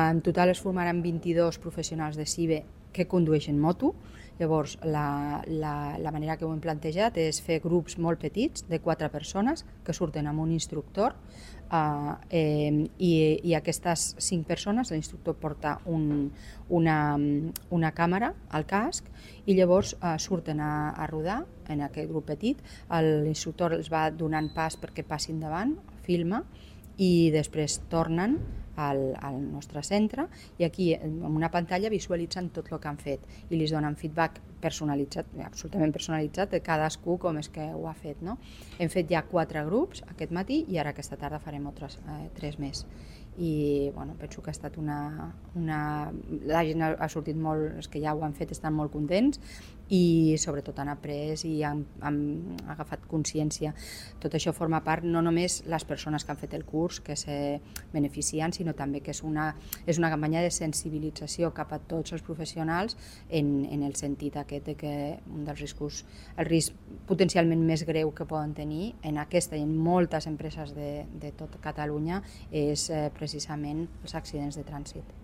En total es formaran 22 professionals de CIBE que condueixen moto. Llavors, la manera que ho hem plantejat és fer grups molt petits, de 4 persones, que surten amb un instructor, i aquestes 5 persones, l'instructor porta una càmera al casc i llavors surten a rodar en aquest grup petit. L'instructor els va donant pas perquè passin davant, filma, i després tornen al nostre centre i aquí en una pantalla visualitzen tot el que han fet i li donen feedback personalitzat, absolutament personalitzat de cadascú com és que ho ha fet. Hem fet ja 4 grups aquest matí i ara aquesta tarda farem altres 3 més i penso que ha estat la gent ha sortit molt, els que ja ho han fet estan molt contents i sobretot han après i han agafat consciència. Tot això forma part no només les persones que han fet el curs que se beneficien, sinó també que és una campanya de sensibilització cap a tots els professionals en el sentit aquest de que un dels riscos, el risc potencialment més greu que poden tenir en aquesta i en moltes empreses de tot Catalunya és precisament els accidents de trànsit.